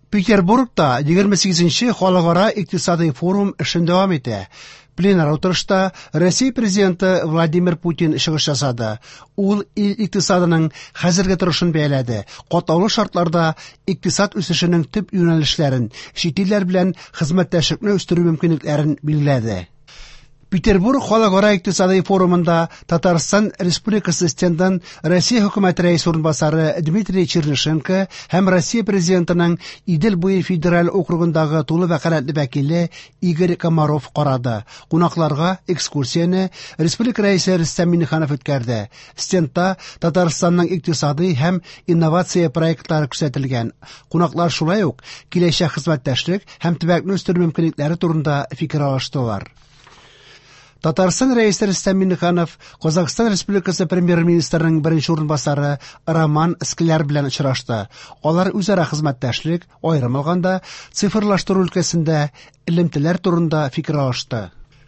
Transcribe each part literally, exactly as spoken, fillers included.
Петербургта егерме сигезенче халыкара икътисадый форум эшен дәвам итә. Пленар утырышта Россия президенты Владимир Путин чыгыш ясады. Ул ил икътисадының хәзерге торышын бәяләде. Катлаулы шартларда икътисад үсешенең төп юнәлешләрен, чит илләр белән хезмәттәшлекне үстерү мөмкинлекләрен билгеләде. Петербург халыкара икътисадый форумында Татарстан Республикасы стендын Россия хөкүмәте рәисе урынбасары Дмитрий Чернышенко һәм Россия президентының Идел буе федераль округындагы тулы вәкаләтле вәкиле Игорь Комаров карады. Кунакларга экскурсияне Республика рәисе Рөстәм Миңнеханов үткәрде. Стендта Татарстанның икътисадый һәм инновация проектлары күрсәтелгән. Кунаклар шулай ук киләчәк хезмәттәшлек һәм төбәкне үстерү мөмкинлекләре турында фикер алыштылар. Татарстан рәисе Рөстәм Миңнеханов Казахстан Республикасы премьер-министрының беренче урынбасары Роман Скляр белән очрашты. Алар үзара хезмәттәшлек, аерым алганда, цифрлаштыру өлкәсендә элемтәләр турында фикер алышты.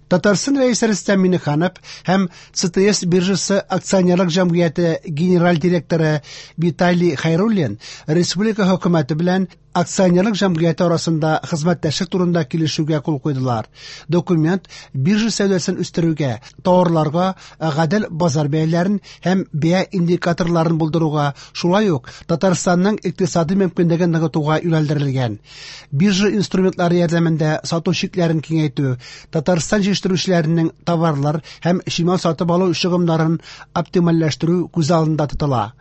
Татарстан рәисе Рөстәм Миңнеханов һәм Ц Т С биржасы акционерлык җәмгыяте генераль директоры Виталий Хайруллин республика хөкүмәте белән акционерлык җәмгыяте арасында хезмәттәшлек турында килешүгә кул куйдылар. Документ биржа сәүдәсен үстерүгә, товарларга гадел базар бәяләрен һәм бәя индикаторларын булдыруга, шулай ук Татарстанның икътисади мөмкинлеген ныгытуга юнәлдерелгән. Биржа инструментлары ярдәмендә сату чикләрен киңәйтү, Татарстан җитештерүчеләренең товарлар һәм чимал сатып алу чыгымнарын оптимальләштерү күз алдында тотыла.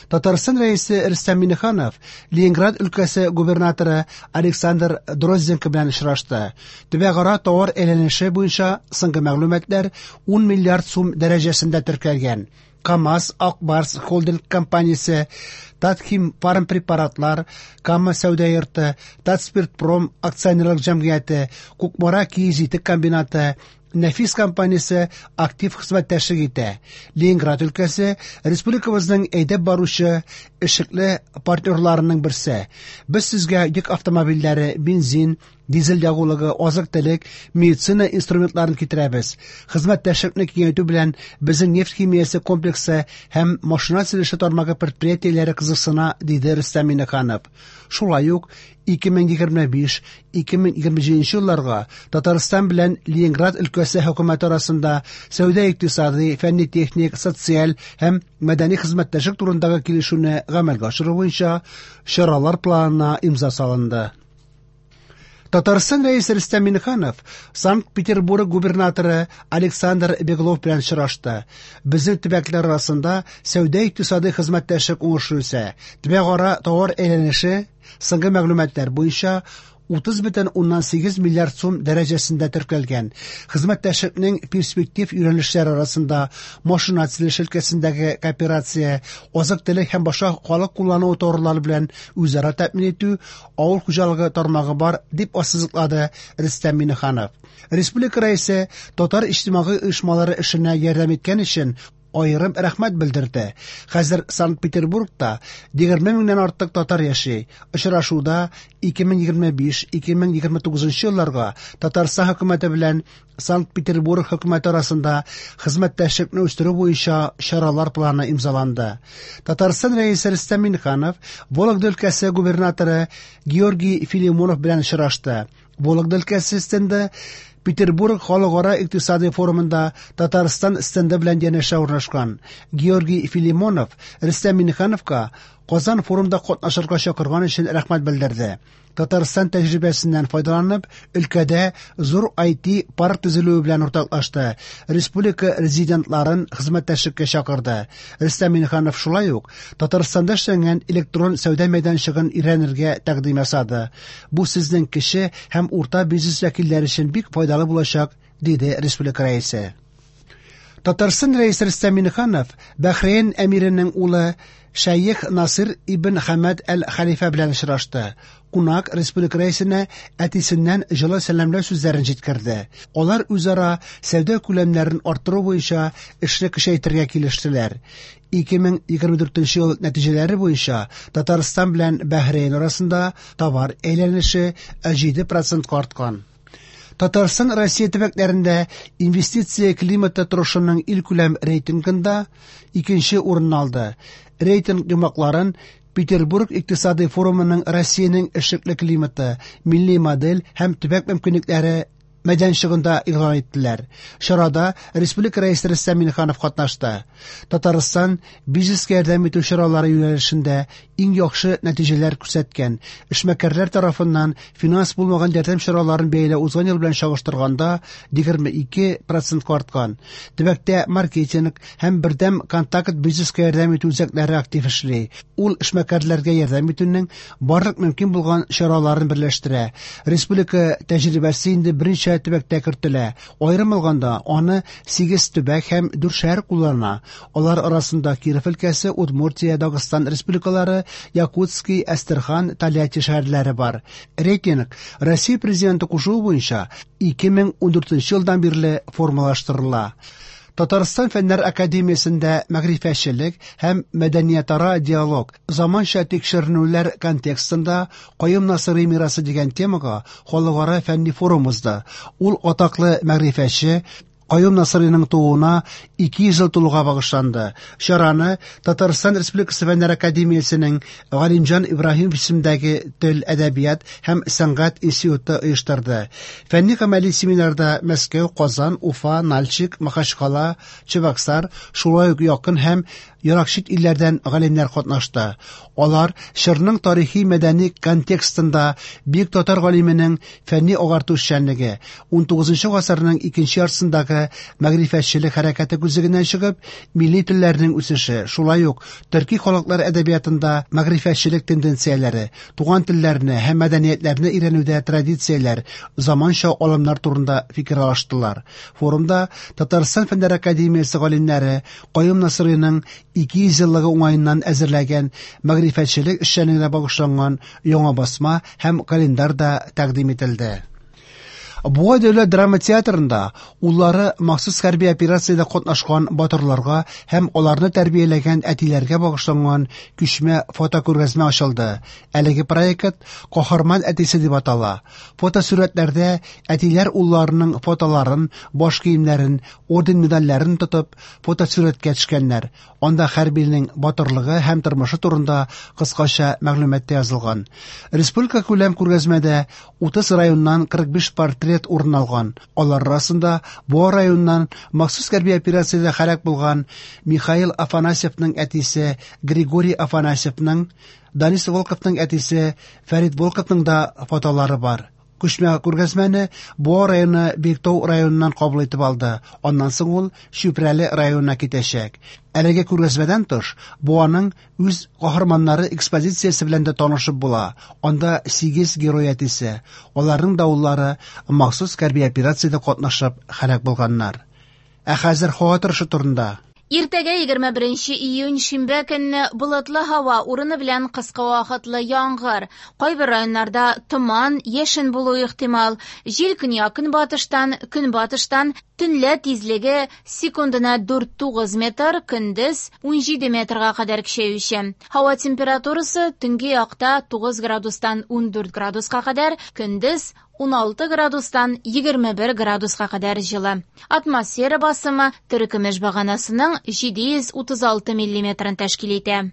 Татарстан рәисе Рөстәм Миңнеханов Ленинград өлкәсе губернаторы Александр Дрозденко белән очрашты. Төбәкара товар әйләнеше буенча соңгы мәгълүматлар ун миллиард сум дәрәҗәсендә теркәлгән. КАМАЗ, Ак Барс холдинг компаниясе, Татхим фармпрепаратлар, Кама сәүдә йорты, Татспиртпром акционерлык җәмгыяте, Кукмара киез итек комбинаты, Нәфис компаниясе актив хезмәттәшлек итә. Ленинград өлкәсе республикабызның әйдәп баручы эшлекле партнерларының берсе. Без сезгә йөк автомобильләре, бензин, дизель ягулыгы, азык-төлек, медицина инструментларын китерәбез. Хезмәттәшлекне киңәйтү белән безнең нефть химиясе комплексы һәм машина төзелеше тармагы предприятиеләре кызыксына, диде Рөстәм Миңнеханов. Шулай ук ике мең егерме биш, ике мең егерме җиденче елларга Татарстан белән Ленинград өлкәсе хөкүмәте арасында сәүдә-икътисади, фәнни-техник, социаль һәм мәдәни хезмәттәшлек турындагы килешүне гамәлгә ашыру буенча чаралар планына имза салынды. Татарстан рәисе Рөстәм Миңнеханов Санкт-Петербург губернаторы Александр Беглов белән очрашты. Безнең төбәкләр арасында сәүдә-икътисади хезмәттәшлек уңышлы үсә. Төбәкара товар әйләнеше соңгы мәгълүматлар буенча утыз бөтен уннан сигез миллиард сум дәрәҗәсендә теркәлгән. Хезмәттәшлекнең перспектив юнәлешләре арасында машина төзелеше өлкәсендәге кооперация, азык-төлек һәм башка халык куллану товарлары белән үзара тәэмин итү, авыл хуҗалыгы тармагы бар, дип ассызыклады Рөстәм Миңнеханов. Республика рәисе татар иҗтимагый оешмалары эшенә ярдәм иткән өчен аерым рәхмәт белдерде. Хәзер Санкт-Петербургта егерме меңнән артык татар яши. Очрашуда ике мең егерме биш, ике мең егерме тугызынчы елларга Татарстан хөкүмәте белән Санкт-Петербург хөкүмәте арасында хезмәттәшлекне үстерү буенча чаралар планы имзаланды. Татарстан рәисе Рөстәм Миңнеханов Вологда өлкәсе губернаторы Георгий Филимонов белән очрашты. Вологда өлкәсе стенды Петербург халыкара икътисади форумында Татарстан стенды белән янәшә урнашкан. Георгий Филимонов Рөстәм Миңнехановка Казан форумда катнашырга чакырган өчен рәхмәт белдерде. Татарстан тәҗрибәсеннән файдаланып, өлкәдә зур ай ти парк төзелүе белән уртаклашты. Республика резидентларын хезмәттәшлеккә чакырды. Рөстәм Миңнеханов шулай ук Татарстанда эшләнгән электрон сәүдә мәйданчыгын өйрәнергә тәкъдим ясады. Бу сезнең кече һәм урта бизнес вәкилләре өчен бик файдалы булачак, диде республика рәисе. Татарстан рәисе Рөстәм Миңнеханов Бәхрейн әмиренең улы Шәех Насыр ибн Хәмәд әл-Хәлифә белән очрашты. Кунак республика рәисенә әтисеннән җылы сәламләү сүзләрен җиткерде. Алар үзара сәүдә күләмнәрен арттыру буенча эшне көчәйтергә килештеләр. Ике мең егерме дүртенче ел нәтиҗәләре буенча Татарстан белән Бәхрейн арасында товар әйләнеше җиде процентка арткан. Татарстан Россия төбәкләрендә инвестиция климаты торышының илкүләм рейтингында икенче урын алды. Рейтинг йомгакларын Петербург икътисадый форумының Россиянең эшлекле климаты, милли модель һәм төбәк мөмкинлекләре мәйданчыгында игълан иттеләр. Чарада республика Рәисе Рөстәм Миңнеханов катнашты. Татарстан бизнеска ярдәм итү чаралары юнәлешендә иң яхшы нәтиҗәләр күрсәткән. Эшмәкәрләр тарафыннан финанс булмаган ярдәм чараларын бәяләү узган ел белән чагыштырганда егерме ике процентка арткан. Төбәктә маркетинг һәм бердәм контакт бизнеска ярдәм итү үзәкләре актив эшли. Ул эшмәкәрләргә ярдәм итүнең барлык мөмкин булган чараларын берләштерә. Республика тәҗрибәсе инде берничә төбәктә кертелә. Аерым алганда, аны сигез төбәк һәм дүрт шәһәр куллана. Алар арасында Киров өлкәсе, Удмуртия, Дагыстан республикалары, Якутский, Әстерхан, Тольятти шәһәрләре бар. Рейтинг Россия президенты кушуы буенча ике мең ундүртенче елдан бирле формалаштырыла. Татарстан Фәннәр академиясендә мәгърифәтчелек һәм мәдәниятара диалог заманча тикшеренүләр контекстында Каюм Насыйри мирасы дигән темага халыкара фәнни форум узды. Ул атаклы мәгърифәтче Каюм Насыйриның тууына ике йөз ел тулуга багышланды. Чараны Татарстан Республикасы Фәннәр академиясенең Галимҗан Ибраһимов исемендәге тел, әдәбият һәм сәнгать институты оештырды. Фәнни гамәли семинарда Мәскәү, Казан, Уфа, Нальчик, Махачкала, Чебоксар, шулай ук якын һәм ерак чит илләрдән галимнәр катнашты. Алар чорның тарихи мәдәни контекстында бөек татар галименең фәнни агарту эшчәнлеге, унтугызынчы гасырның икенче яртысындагы мәгърифәтчелек хәрәкәте күзлегеннән чыгып, милли телләрнең үсеше, шулай ук төрки халыклар әдәбиятында мәгърифәтчелек тенденцияләре, туган телләрне һәм мәдәниятләрне өйрәнүдә традицияләр, заманча алымнар турында фикер алыштылар. Форумда Татарстан Фәннәр академиясе галимнәре Каюм Насыйриның ике йөз еллыгы уңаеннан әзерләгән мәгърифәтчелек эшчәнлегенә багышланган яңа басма һәм календарь да тәкъдим ителде. Буа дәүләт драма театрында уллары махсус хәрби операциядә катнашкан батырларга һәм аларны тәрбияләгән әтиләргә багышланган күчмә фотокүргәзмә ачылды. Әлеге проект Каһарман әтисе дип атала. Фотосурәтләрдә әтиләр улларының фотоларын, баш киемнәрен, орден медальләрен тотып фотосурәткә төшкәннәр. Анда хәрбинең батырлыгы һәм тормышы турында кыскача мәгълүмат та язылган. Республика күләм күргәзмәдә утыз районнан кырык биш портрет урын алган. Алар арасында Буа районыннан махсус хәрби операциядә һәлак булган Михаил Афанасьевның әтисе Григорий Афанасьевның, Данис Волковның әтисе Фәрит Волковның да фотолары бар. Күчмә күргәзмәне Буа районы Биектау районыннан кабул итеп алды. Аннан соң ул Чүпрәле районына китәчәк. Әлеге күргәзмәдән тыш, Буаның үз каһарманнары экспозициясе белән дә танышып була. Анда сигез герой әтисе, аларның да уллары махсус хәрби операциядә катнашып һәлак булганнар. Ә хәзер һава торышы турында. Иртәгә егерме беренче июнь шимбә көнне болытлы һава, урыны белән кыска вакытлы яңгыр. Кайбер районнарда томан, яшен булуы ихтимал. Җил көньяк-көнбатыштан, көнбатыштан, төнлә тизлеге секундына дүрт тугыз метр, көндез унҗиде метрга кадәр көчәюче. Һава температурасы төнге якта тугыз градустан ундүрт градуска кадәр, көндез уналты градустан егерме бер градуска кадәр җылы. Атмосфера басымы терекөмеш баганасының җиде йөз утыз алты миллиметрын тәшкил итә.